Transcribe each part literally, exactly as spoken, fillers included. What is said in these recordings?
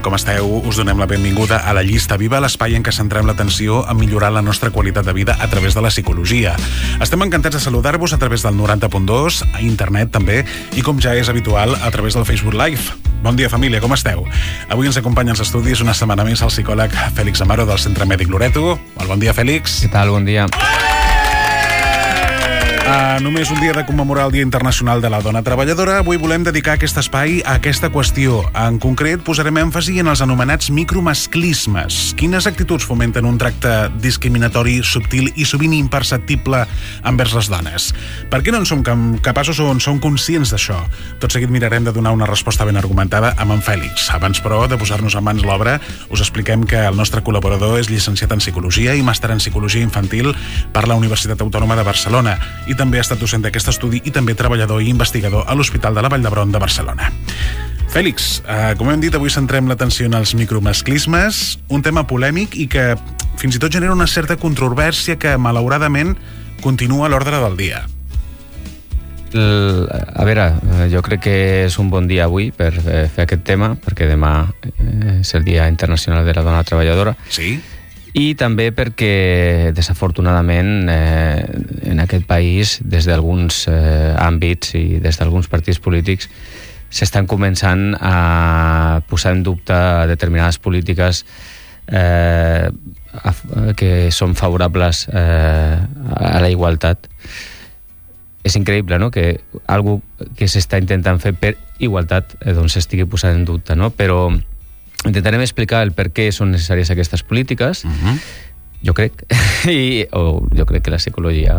tal com esteu? Us donem la benvinguda a La Llista Viva, l'espai en què centrem l'atenció a millorar la nostra qualitat de vida a través de la psicologia. Estem encantats de saludar-vos a través del noranta punt dos, a internet també, i com ja és habitual, a través del Facebook Live. Bon dia, família, com esteu? Avui ens acompanya als estudis una setmana més el psicòleg Fèlix Amaro del Centre Mèdic Loreto. Molt bon dia, Fèlix. Què tal? Bon dia. Uh, només un dia de commemorar el Dia Internacional de la Dona Treballadora, avui volem dedicar aquest espai a aquesta qüestió. En concret, posarem èmfasi en els anomenats micromasclismes. Quines actituds fomenten un tracte discriminatori, subtil i sovint imperceptible envers les dones? Per què no en som capaços o en som conscients d'això? Tot seguit mirarem de donar una resposta ben argumentada amb en Fèlix. Abans, però, de posar-nos en mans l'obra, us expliquem que el nostre col·laborador és llicenciat en Psicologia i màster en Psicologia Infantil per la Universitat Autònoma de Barcelona i també ha estat docent d'aquest estudi i també treballador i investigador a l'Hospital de la Vall d'Hebron de Barcelona. Fèlix, eh, com hem dit, avui centrem l'atenció en els micromasclismes, un tema polèmic i que fins i tot genera una certa controvèrsia que, malauradament, continua a l'ordre del dia. El, a veure, jo crec que és un bon dia avui per fer aquest tema, perquè demà és el Dia Internacional de la Dona Treballadora. Sí? I també perquè, desafortunadament, eh, en aquest país, des d'alguns eh, àmbits i des d'alguns partits polítics, s'estan començant a posar en dubte determinades polítiques eh, a, que són favorables eh, a la igualtat. És increïble, no?, que algo que s'està intentant fer per igualtat eh, doncs estigui posat en dubte, no? Però intentarem explicar el per què són necessàries aquestes polítiques, uh-huh. jo crec, i, o jo crec que la psicologia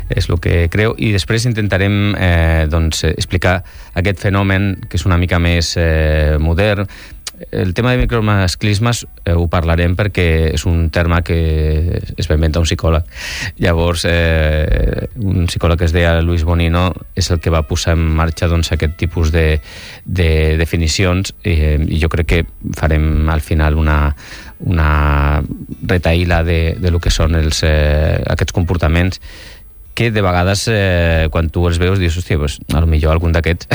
és el que creu, i després intentarem eh, doncs, explicar aquest fenomen que és una mica més eh, modern. El tema de micromasclismes eh, ho parlarem perquè és un terme que es va inventar un psicòleg. Llavors, eh, un psicòleg que es deia Luis Bonino és el que va posar en marxa doncs, aquest tipus de, de definicions eh, i jo crec que farem al final una, una retaïla de, de lo que són els, eh, aquests comportaments que de vegades, eh, quan tu els veus, dius, hòstia, pues, a lo millor algun d'aquests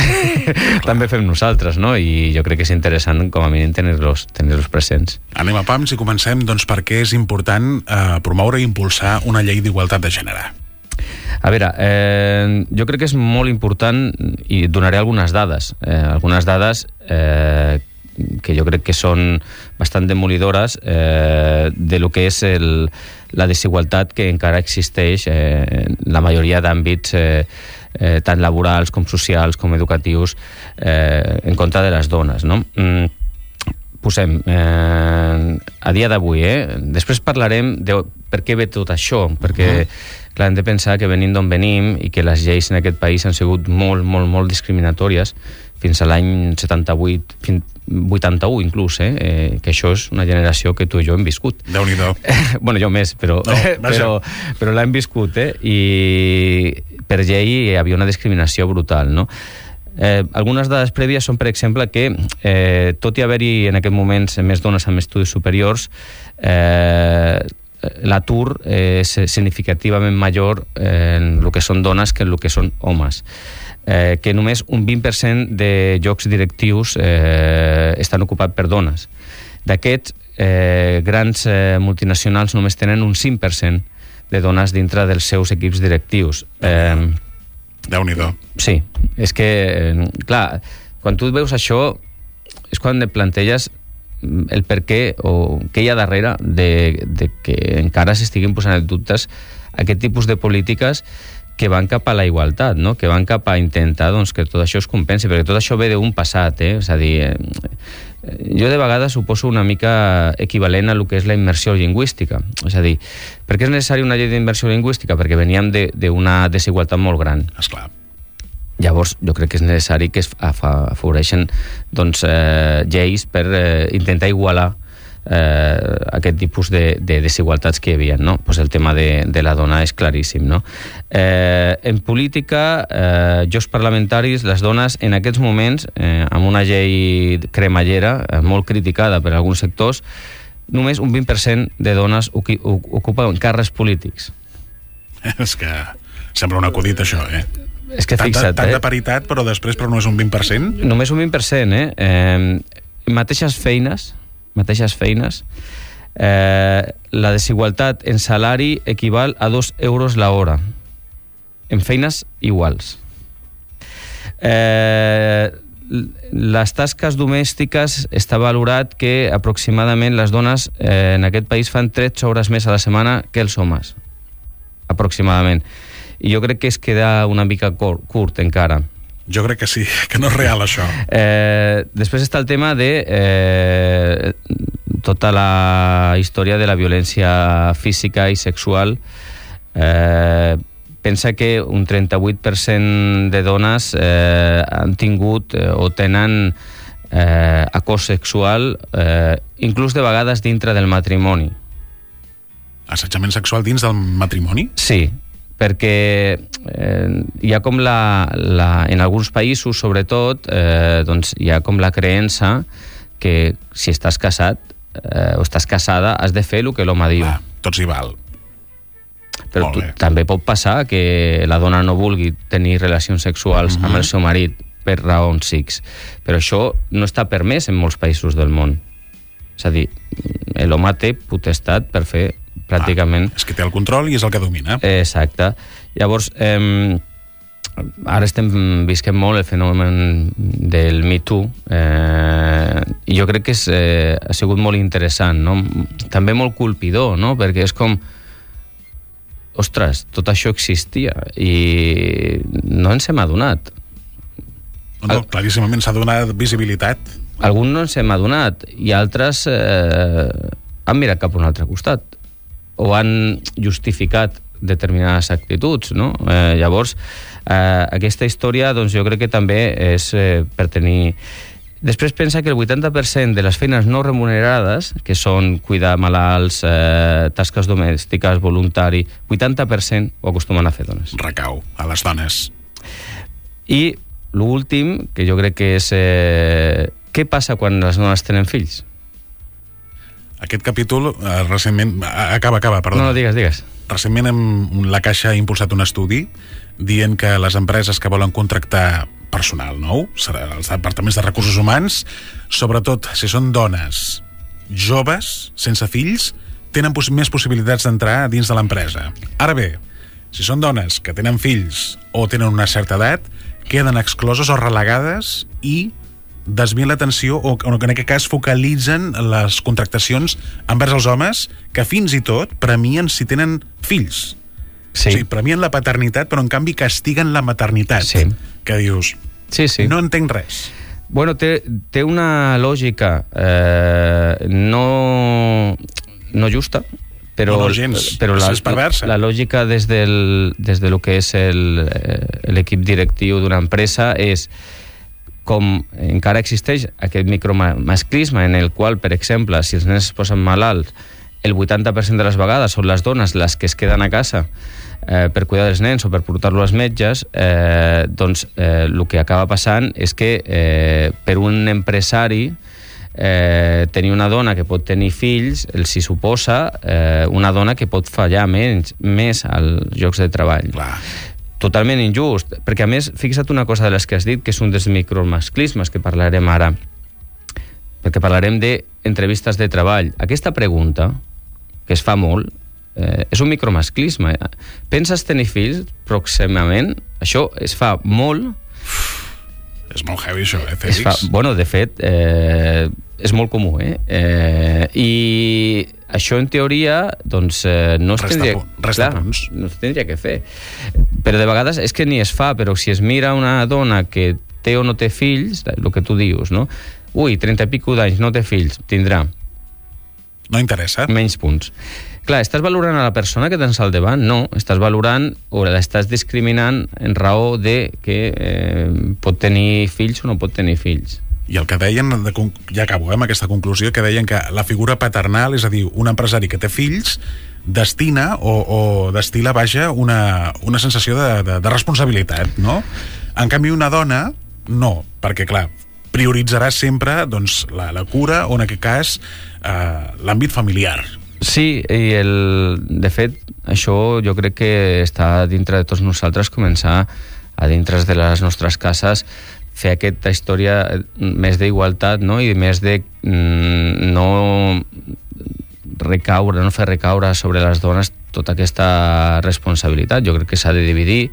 també fem nosaltres, no? I jo crec que és interessant, com a mínim, tenir-los tenir-los presents. Anem a pams i comencem, doncs, per què és important eh, promoure i impulsar una llei d'igualtat de gènere. A veure, eh, jo crec que és molt important, i donaré algunes dades, eh, algunes dades eh, que jo crec que són bastant demolidores eh, de lo que és el, la desigualtat que encara existeix eh, en la majoria d'àmbits eh, eh, tant laborals com socials com educatius eh, en contra de les dones, no? Mm, posem, eh, a dia d'avui, eh, després parlarem de per què ve tot això, perquè clar, hem de pensar que venim d'on venim i que les lleis en aquest país han sigut molt, molt, molt discriminatòries fins a l'any setanta-vuit, fins vuitanta-u inclús, eh? eh? que això és una generació que tu i jo hem viscut. Déu-n'hi-do. bueno, jo més, però, no, però, però l'hem viscut, eh? I per llei hi havia una discriminació brutal, no? Eh, algunes dades prèvies són, per exemple, que eh, tot i haver-hi en aquest moment més dones amb estudis superiors, eh, l'atur és significativament major en el que són dones que en el que són homes. Eh, que només un vint per cent de llocs directius eh, estan ocupats per dones. D'aquests, eh, grans eh, multinacionals només tenen un cinc per cent de dones dintre dels seus equips directius. Eh, Déu-n'hi-do. Sí, és que, eh, clar, quan tu veus això, és quan et planteges el per què o què hi ha darrere de, de que encara s'estiguin posant en dubtes aquest tipus de polítiques que van cap a la igualtat, no? Que van cap a intentar doncs, que tot això es compensi, perquè tot això ve d'un passat, eh? És a dir, eh, jo de vegades ho poso una mica equivalent a el que és la immersió lingüística. És a dir, per què és necessària una llei d'immersió lingüística? Perquè veníem d'una de, desigualtat molt gran. Esclar. Llavors, jo crec que és necessari que es afavoreixen doncs, eh, lleis per eh, intentar igualar eh, aquest tipus de, de desigualtats que hi havia, no? Pues el tema de, de la dona és claríssim, no? Eh, en política, eh, jocs parlamentaris, les dones en aquests moments, eh, amb una llei cremallera, eh, molt criticada per alguns sectors, només un vint per cent de dones ocupen càrrecs polítics. És que sembla un acudit, això, eh? És que fixa't, tanta, tanta eh? paritat, però després però només un vint per cent? Només un vint per cent, eh? eh mateixes feines, mateixes feines, eh, la desigualtat en salari equival a dos euros la hora, en feines iguals. Eh, les tasques domèstiques està valorat que aproximadament les dones eh, en aquest país fan tretze hores més a la setmana que els homes, aproximadament. I jo crec que es queda una mica curt, curt encara. Jo crec que sí, que no és real això. Eh, després està el tema de eh, tota la història de la violència física i sexual. Eh, pensa que un trenta-vuit per cent de dones eh, han tingut eh, o tenen eh, acòs sexual, eh, inclús de vegades dintre del matrimoni. Assetjament sexual dins del matrimoni? Sí, perquè eh, hi ha com la, la... En alguns països, sobretot, eh, doncs hi ha com la creença que si estàs casat eh, o estàs casada has de fer el que l'home diu. Va, tots hi val. Però tu, també pot passar que la dona no vulgui tenir relacions sexuals uh-huh. amb el seu marit per raons X. Però això no està permès en molts països del món. És a dir, l'home té potestat per fer pràcticament... Ah, és que té el control i és el que domina. Exacte. Llavors, eh, ara estem visquent molt el fenomen del Me Too, eh, i jo crec que és, eh, ha sigut molt interessant, no? També molt colpidor, no? Perquè és com... Ostres, tot això existia i no ens hem adonat. No, no, claríssimament s'ha donat visibilitat. Alguns no ens hem adonat i altres eh, han mirat cap a un altre costat o han justificat determinades actituds, no? Eh, llavors, eh, aquesta història doncs, jo crec que també és eh, per tenir... Després pensa que el vuitanta per cent de les feines no remunerades, que són cuidar malalts, eh, tasques domèstiques, voluntari, vuitanta per cent ho acostumen a fer dones. Recau a les dones. I l'últim, que jo crec que és... Eh, què passa quan les dones tenen fills? Aquest capítol, eh, recentment... Acaba, acaba, perdó. No, no, digues, digues. Recentment hem, la Caixa ha impulsat un estudi dient que les empreses que volen contractar personal nou, serà els departaments de recursos humans, sobretot si són dones joves, sense fills, tenen poss- més possibilitats d'entrar dins de l'empresa. Ara bé, si són dones que tenen fills o tenen una certa edat, queden excloses o relegades i desvien l'atenció o, o en aquest cas focalitzen les contractacions envers els homes que fins i tot premien si tenen fills. Sí. O sigui, premien la paternitat però en canvi castiguen la maternitat. Sí. Que dius, sí, sí. no entenc res. Bueno, té, té una lògica eh, no, no justa, però, no, no, gens. però la, és perversa. La, la lògica des del, des de lo que és el, l'equip directiu d'una empresa és com encara existeix aquest micromasclisme en el qual, per exemple, si els nens es posen malalts, el vuitanta per cent de les vegades són les dones les que es queden a casa eh, per cuidar dels nens o per portar-lo als metges, eh, doncs eh, el que acaba passant és que eh, per un empresari eh, tenir una dona que pot tenir fills els hi suposa eh, una dona que pot fallar menys, més als llocs de treball. Clar. Totalment injust, perquè a més, fixa't una cosa de les que has dit, que és un dels micromasclismes que parlarem ara, perquè parlarem d'entrevistes de treball. Aquesta pregunta, que es fa molt, eh, és un micromasclisme. Penses tenir fills pròximament? Això es fa molt... És molt heavy això, eh, Fèlix? Es fa, bueno, de fet, eh, és molt comú, eh? eh? I això, en teoria, doncs, eh, no es resta tindria... Pu- resta clar, punts. no es tindria que fer. Però de vegades és que ni es fa, però si es mira una dona que té o no té fills, el que tu dius, no? Ui, trenta i pico d'anys, no té fills, tindrà. No interessa. Menys punts. Clar, estàs valorant a la persona que tens al davant? No, estàs valorant o l'estàs discriminant en raó de que eh, pot tenir fills o no pot tenir fills. I el que deien, de, ja acabo eh, amb aquesta conclusió, que deien que la figura paternal, és a dir, un empresari que té fills, destina o, o destila, vaja, una, una sensació de, de, de responsabilitat, no? En canvi, una dona, no, perquè, clar, prioritzarà sempre doncs, la, la cura o, en aquest cas, eh, l'àmbit familiar. Sí, i el, de fet, això jo crec que està dintre de tots nosaltres començar a dintre de les nostres cases fer aquesta història més d'igualtat, no? I més de mm, no recaure, no fer recaure sobre les dones tota aquesta responsabilitat. Jo crec que s'ha de dividir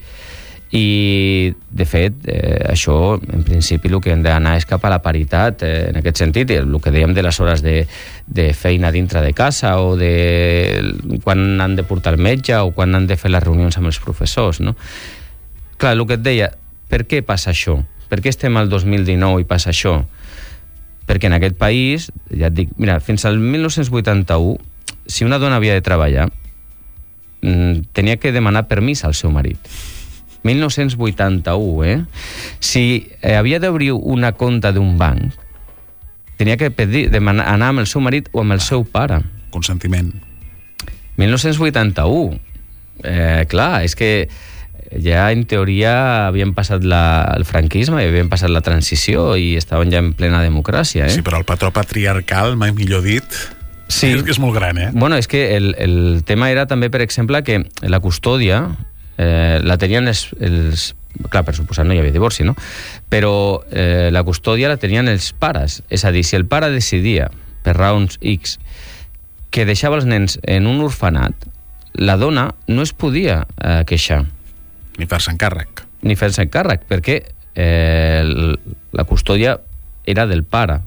i, de fet, eh, això, en principi, el que hem d'anar és cap a la paritat, eh, en aquest sentit, el que dèiem de les hores de, de feina dintre de casa o de quan han de portar el metge o quan han de fer les reunions amb els professors, no? Clar, el que et deia, per què passa això? Per què estem al dos mil dinou i passa això? Perquè en aquest país, ja et dic, mira, fins al mil nou-cents vuitanta-u, si una dona havia de treballar, tenia que demanar permís al seu marit. mil nou-cents vuitanta-u, eh? Si eh, havia d'obrir una compta d'un banc, tenia que pedir, demanar, anar amb el seu marit o amb el ah, seu pare. Consentiment. mil nou-cents vuitanta-u. Eh, clar, és que ja en teoria havien passat la, el franquisme i havien passat la transició i estaven ja en plena democràcia, eh? Sí, però el patró patriarcal, mai millor dit, sí. és, és molt gran, eh? Bueno, és que el, el tema era també, per exemple, que la custòdia eh, la tenien els, els... Clar, per suposat no hi havia divorci, no? Però eh, la custòdia la tenien els pares. És a dir, si el pare decidia, per raons X, que deixava els nens en un orfenat, la dona no es podia eh, queixar. Ni fer-se'n càrrec. Ni fer-se'n càrrec, perquè eh, la custòdia era del pare.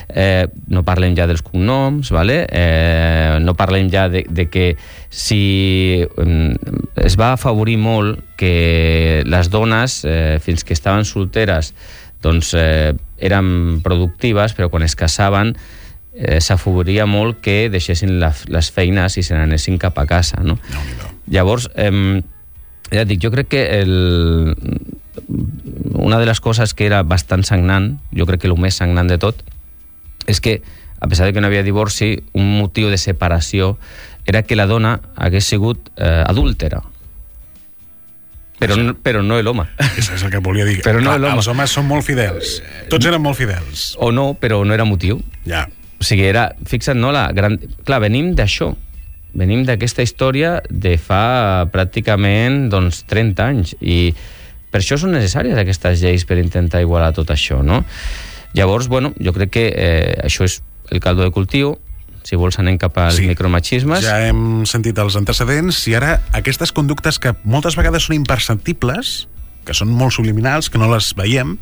Eh, no parlem ja dels cognoms, vale? eh, no parlem ja de, de que si eh, es va afavorir molt que les dones, eh, fins que estaven solteres, doncs eh, eren productives, però quan es casaven eh, s'afavoria molt que deixessin la, les feines i se n'anessin cap a casa, no? No, no. Llavors, eh, ja dic, jo crec que el... una de les coses que era bastant sagnant, jo crec que el més sagnant de tot, és que, a pesar de que no havia divorci, un motiu de separació era que la dona hagués sigut eh, adúltera. Però, no, però no l'home. Això és el que volia dir. Però no Clar, l'home. Els homes són molt fidels. Tots eren molt fidels. O no, però no era motiu. Ja. O sigui, era... Fixa't, no? La gran... Clar, venim d'això. Venim d'aquesta història de fa pràcticament doncs, trenta anys. I per això són necessàries aquestes lleis per intentar igualar tot això, no? Llavors, bueno, jo crec que eh, això és el caldo de cultiu. Si vols anem cap als sí. micromachismes. Ja hem sentit els antecedents i ara aquestes conductes que moltes vegades són imperceptibles, que són molt subliminals, que no les veiem,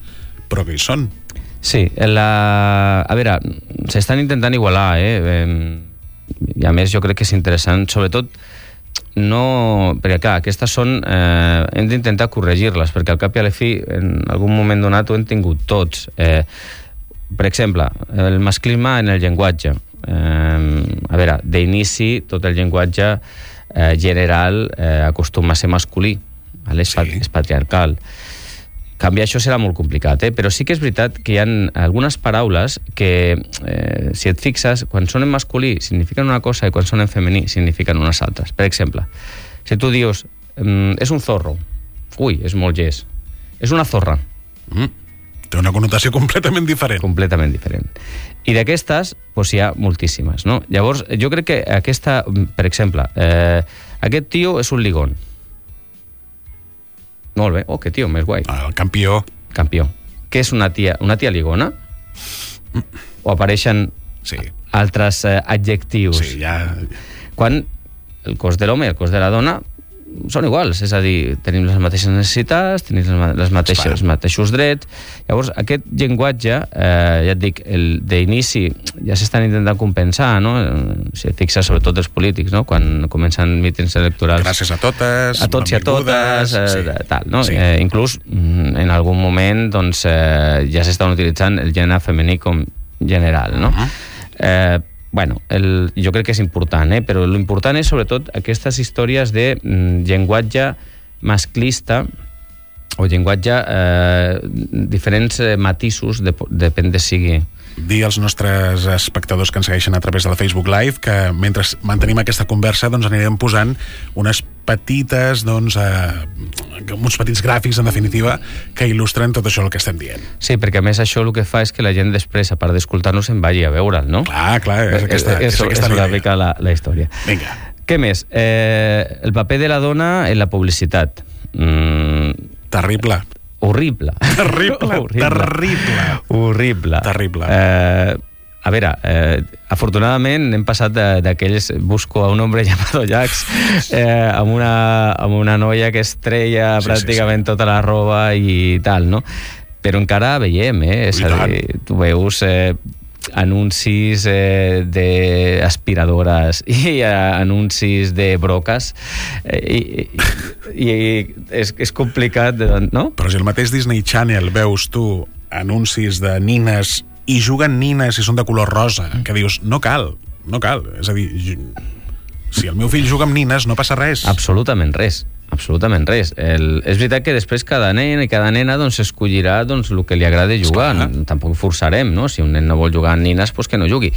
però que hi són. Sí, la... a veure, s'estan intentant igualar, eh? I a més jo crec que és interessant, sobretot no... perquè clar, aquestes són eh, hem d'intentar corregir-les, perquè al cap i a la fi en algun moment donat ho hem tingut tots. Eh, per exemple, el masclisme en el llenguatge. Eh, a veure, d'inici tot el llenguatge eh, general eh, acostuma a ser masculí, vale? Sí. És patriarcal. Canviar això serà molt complicat, eh? Però sí que és veritat que hi ha algunes paraules que, eh, si et fixes, quan són en masculí signifiquen una cosa i quan són en femení signifiquen unes altres. Per exemple, si tu dius mm, és un zorro, ui, és molt llest. És una zorra. Mm. Té una connotació completament diferent. Completament diferent. I d'aquestes, doncs hi ha moltíssimes, no? Llavors, jo crec que aquesta, per exemple, eh, aquest tio és un ligón. Molt bé, oh, que tio, més guai. El campió. Campió. Què és una tia? Una tia ligona? Mm. O apareixen sí. altres eh, adjectius? Sí, ja... Quan el cos de l'home i el cos de la dona són iguals, és a dir, tenim les mateixes necessitats, tenim les mateixes, els mateixos drets. Llavors, aquest llenguatge, eh, ja et dic, d'inici ja s'estan intentant compensar, no? Si et fixes, sobretot els polítics, no? Quan comencen mítings electorals. Gràcies a totes, a tots i a totes, eh, sí. tal, no? Sí. Eh, inclús, en algun moment, doncs, eh, ja s'estan utilitzant el gènere femení com general, no? Uh-huh. Eh, Bueno, el, jo crec que és important, eh? Però l'important és sobretot aquestes històries de mm, llenguatge masclista o llenguatge eh, diferents eh, matisos, de, depèn de sigui. Dir als nostres espectadors que ens segueixen a través de la Facebook Live que mentre mantenim aquesta conversa doncs anirem posant unes petites doncs, eh, uns petits gràfics en definitiva que il·lustren tot això el que estem dient. Sí, perquè a més això el que fa és que la gent després, a part d'escoltar-nos, en vagi a veure'l, no? Clar, clar, és aquesta, és, és, és aquesta és una mica la, la història. Vinga. Què més? Eh, el paper de la dona en la publicitat. Mm, Terrible. horrible. Terrible, horrible. terrible. Horrible. Terrible. Eh, a veure, eh, afortunadament hem passat d'aquells busco a un hombre llamado Jax eh, amb, una, amb una noia que es treia sí, pràcticament sí, sí. tota la roba i tal, no? Però encara veiem, eh? És a dir, tu veus eh, anuncis eh, d'aspiradores i eh, anuncis de broques eh, i, i, i és, és complicat, no? Però si el mateix Disney Channel veus tu anuncis de nines i juguen nines i són de color rosa, que dius, no cal, no cal. És a dir, si el meu fill juga amb nines no passa res. Absolutament res, absolutament res. El, és veritat que després cada nen i cada nena doncs, escollirà doncs, el que li agrada jugar. Esclar. Tampoc forçarem, no? Si un nen no vol jugar amb nines, doncs que no jugui.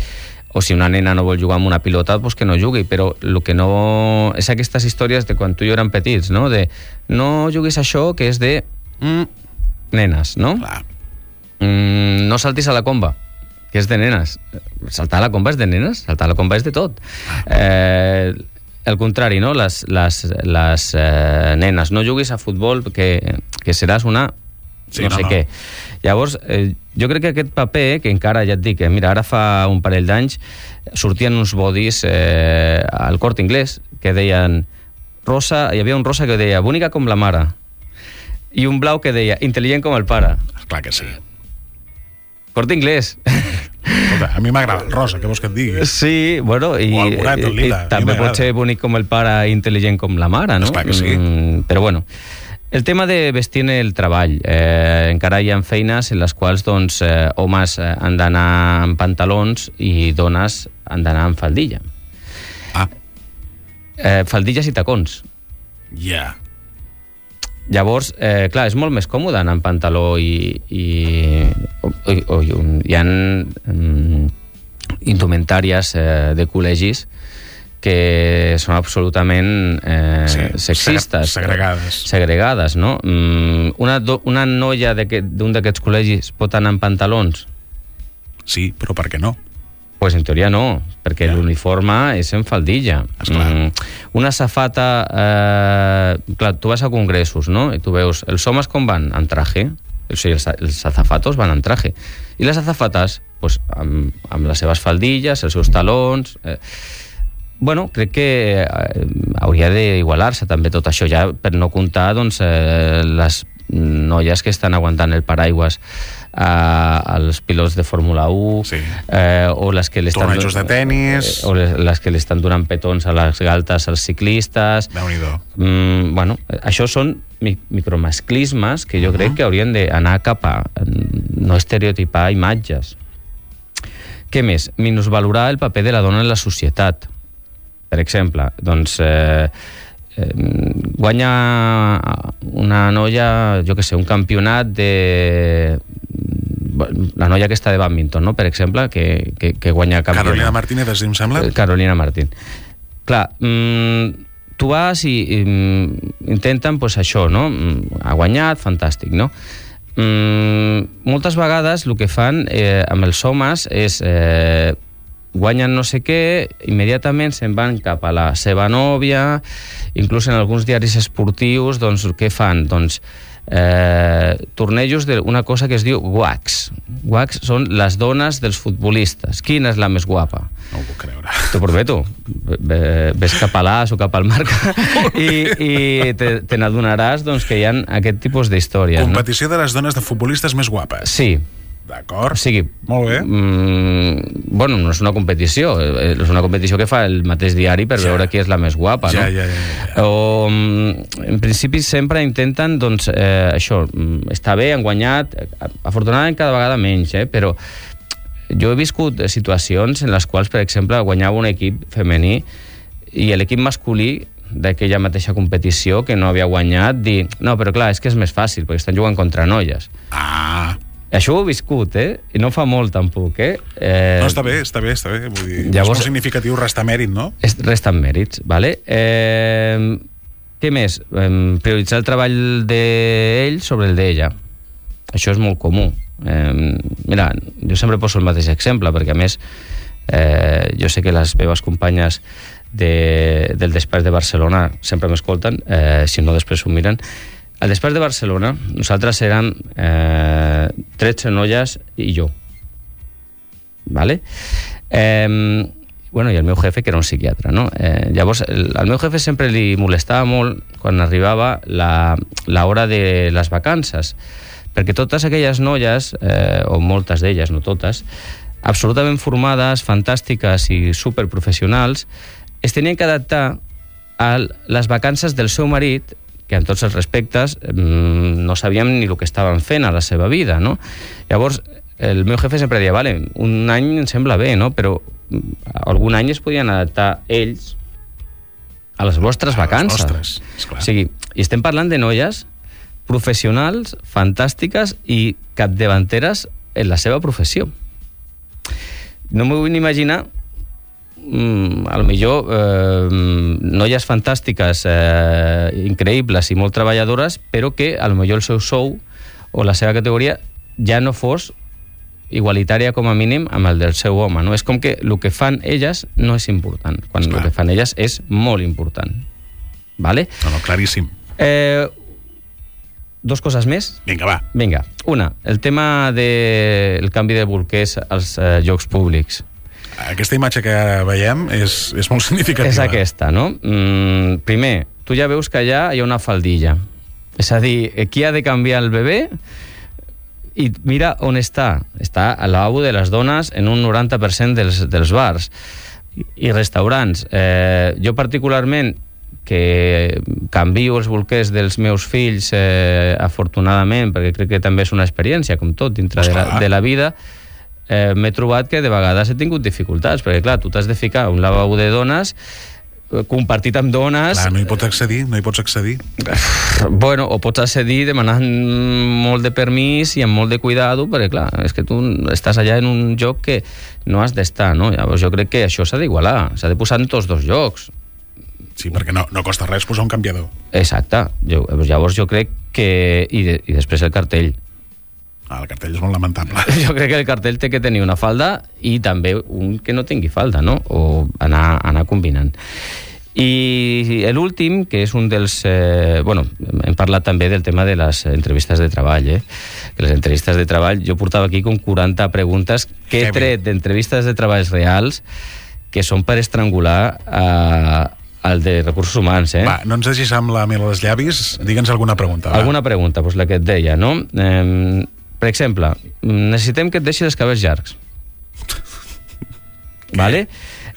O si una nena no vol jugar amb una pilota, doncs que no jugui. Però el que no... És aquestes històries de quan tu i jo érem petits, no? De no juguis això que és de mm, nenes, no? Clar. Mm, no saltis a la comba, que és de nenes. Saltar a la comba és de nenes, saltar a la comba és de tot. Eh, el contrari, no? Les, les, les eh, nenes, no juguis a futbol que, que seràs una sí, no, no sé no. què. Llavors, eh, jo crec que aquest paper, que encara ja et dic, eh, mira, ara fa un parell d'anys sortien uns bodis eh, al Corte Inglés que deien rosa, hi havia un rosa que deia bonica com la mare i un blau que deia intel·ligent com el pare. Clar que sí. Corte Inglés. Escolta, a mi m'agrada el rosa, què vols que et digui? Sí, bueno, i, o el morat, el lila, i també pot ser bonic com el pare i intel·ligent com la mare, no? Esclar que sí. Mm, però bueno, el tema de vestir en el treball. Eh, encara hi ha feines en les quals doncs, eh, homes han d'anar amb pantalons i dones han d'anar amb faldilla. Ah. Eh, faldilles i tacons. Ja. Yeah. Llavors, eh, clar, és molt més còmode anar amb pantaló i, i, i, o, i hi ha um, indumentàries eh, de col·legis que són absolutament eh, sí, sexistes. Segregades. Segregades, no? Um, una, do, una noia d'un d'aquests col·legis pot anar amb pantalons? Sí, però per què no? Pues en teoria no, perquè ja. L'uniforme és en faldilla. Mm, una safata... Eh, clar, tu vas a congressos, no? I tu veus, els homes com van? En traje. O sigui, els, els azafatos van en traje. I les azafates, pues, amb, amb les seves faldilles, els seus talons... Eh, bueno, crec que eh, hauria d'igualar-se també tot això, ja per no comptar doncs, eh, les noies que estan aguantant el paraigües als pilots de Fórmula u sí. eh, o les que l'estan tornejos de tenis eh, o les, les que l'estan donant petons a les galtes als ciclistes. Déu-n'hi-do. Mm, bueno, això són mi- micromasclismes que jo uh-huh. crec que haurien d'anar cap a no estereotipar imatges. Què més? Minusvalorar el paper de la dona en la societat. Per exemple, doncs eh, eh, guanya una noia, jo què sé, un campionat de... la noia aquesta de bàdminton, no? Per exemple, que, que, que guanya campionat. Carolina Martínez, em sembla? Carolina Martín. Clar, mmm, tu vas i, i intenten, pues, això, no? Ha guanyat, fantàstic, no? Mm, moltes vegades el que fan eh, amb els homes és eh, guanyen no sé què, immediatament se'n van cap a la seva nòvia, inclús en alguns diaris esportius, doncs què fan? Doncs eh, tornejos d'una cosa que es diu W A Cs. W A Cs són les dones dels futbolistes. Quina és la més guapa? No ho puc creure. T'ho prometo. Ves cap a l'As o cap al Marca i, i te, te n'adonaràs doncs, que hi ha aquest tipus d'històries. Competició no? de les dones de futbolistes més guapes. Sí. D'acord. O sigui, molt bé. Mm, bueno, no és una competició, és una competició que fa el mateix diari per ja. veure qui és la més guapa, ja, no? Ja, ja, ja. O, en principi sempre intenten, doncs, eh, això, està bé, han guanyat, afortunadament cada vegada menys, eh, però jo he viscut situacions en les quals, per exemple, guanyava un equip femení i l'equip masculí d'aquella mateixa competició que no havia guanyat, dir, no, però clar, és que és més fàcil, perquè estan jugant contra noies. Ah... Això ho he viscut, eh? I no fa molt, tampoc, eh? eh... No, està bé, està bé, està bé. Vull dir, llavors, és molt significatiu restar mèrit, no? Resten mèrits, vale? Eh... Què més? Eh, prioritzar el treball d'ell sobre el d'ella. Això és molt comú. Eh, mira, jo sempre poso el mateix exemple, perquè a més eh, jo sé que les meves companyes de, del despatx de Barcelona sempre m'escolten, eh, si no després ho miren. al despatx de Barcelona, nosaltres érem eh, tretze noies i jo. Vale? Eh, bueno, i el meu jefe, que era un psiquiatre, no? Eh, llavors, el, al meu jefe sempre li molestava molt quan arribava la, la hora de les vacances, perquè totes aquelles noies, eh, o moltes d'elles, no totes, absolutament formades, fantàstiques i superprofessionals, es tenien que adaptar a les vacances del seu marit, que amb tots els respectes no sabíem ni el que estaven fent a la seva vida, no? Llavors, el meu jefe sempre deia, vale, un any em sembla bé, no? Però algun any es podien adaptar ells a les vostres vacances. A les vostres, esclar. O sigui, i estem parlant de noies professionals, fantàstiques i capdavanteres en la seva professió. No m'ho vull ni imaginar, mm, a lo millor eh, noies fantàstiques, eh, increïbles i molt treballadores, però que a lo millor el seu sou o la seva categoria ja no fos igualitària com a mínim amb el del seu home, no? És com que el que fan elles no és important, quan Esclar. el que fan elles és molt important. Vale? No, no, claríssim. Eh, dos coses més. Vinga, va. Vinga. Una, el tema del canvi de bolquers als eh, llocs públics. Aquesta imatge que veiem és, és molt significativa. És aquesta, no? Mm, primer, tu ja veus que allà hi ha una faldilla. És a dir, qui ha de canviar el bebè? I mira on està. Està al lavabo de les dones en un noranta per cent dels, dels bars i restaurants. Eh, jo particularment, que canvio els bolquers dels meus fills, eh, afortunadament, perquè crec que també és una experiència, com tot, dintre de la, de la vida, eh, m'he trobat que de vegades he tingut dificultats, perquè clar, tu t'has de ficar un lavabo de dones compartit amb dones. Clar, no hi pots accedir, no hi pots accedir. Bueno, o pots accedir demanant molt de permís i amb molt de cuidado, perquè clar, és que tu estàs allà en un lloc que no has d'estar, no? Llavors jo crec que això s'ha d'igualar, s'ha de posar en tots dos llocs. Sí, perquè no, no costa res posar un canviador. Exacte. Jo, llavors jo crec que... I, de, i després el cartell. Ah, el cartell és molt lamentable. Jo crec que el cartell té que tenir una falda i també un que no tingui falda, no? O anar, anar combinant. I l'últim, que és un dels... Eh, bueno, hem parlat també del tema de les entrevistes de treball, eh? Que les entrevistes de treball, jo portava aquí com quaranta preguntes que he tret d'entrevistes de treballs reals que són per estrangular a... el de recursos humans, eh? Va, no ens deixis amb la mel als llavis, digue'ns alguna pregunta. Va. Alguna pregunta, doncs la que et deia, no? Eh, per exemple, necessitem que et deixis els cabells llargs. Vale?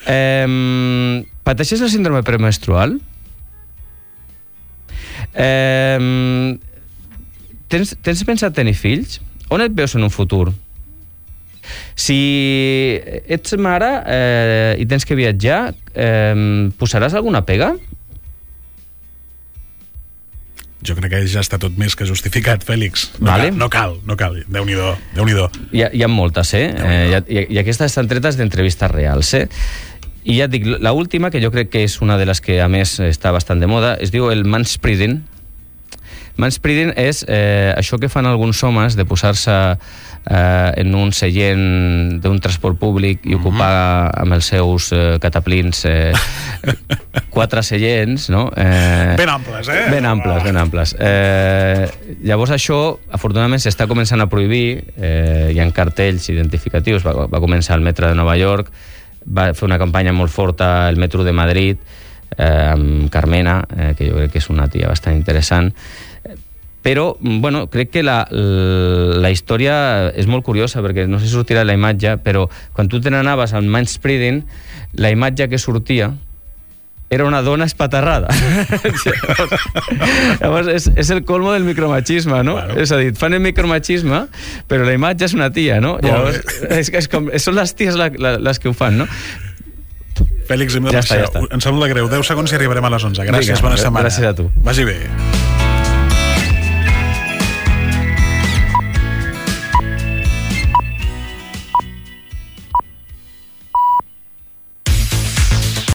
Eh, pateixes el síndrome premenstrual? Eh, tens, tens pensat tenir fills? On et veus en un futur? Si ets mare eh, i tens que viatjar, eh, posaràs alguna pega? Jo crec que ja està tot més que justificat, Fèlix. No, vale. cal, no cal, no cal. Déu-n'hi-do, Déu-n'hi-do. Hi ha, hi ha moltes, eh? eh i, I aquestes estan tretes d'entrevistes reals, eh? I ja et dic, la última, que jo crec que és una de les que a més està bastant de moda, es diu el manspreading. Manspreading és eh, això que fan alguns homes de posar-se eh, en un seient d'un transport públic i ocupar mm-hmm. amb els seus eh, cataplins eh, quatre seients, no? Eh, ben amples, eh? Ben amples, ben amples. Eh, llavors això, afortunadament, s'està començant a prohibir, eh, hi ha cartells identificatius, va, va començar el metro de Nova York, va fer una campanya molt forta el metro de Madrid, eh, amb Carmena, eh, que jo crec que és una tia bastant interessant. Però, bueno, crec que la, la història és molt curiosa, perquè no sé si sortirà la imatge, però quan tu te n'anaves al manspreading, la imatge que sortia era una dona espaterrada. Llavors, és, és el colmo del micromachisme, no? Bueno. És a dir, fan el micromachisme, però la imatge és una tia, no? Llavors, és, és com, són les ties la, la, les que ho fan, no? Fèlix, hem de ja està, ja està. Em sembla greu. deu segons i arribarem a les onze. Gràcies, Vinga, bona setmana. Gràcies a tu. Vagi bé.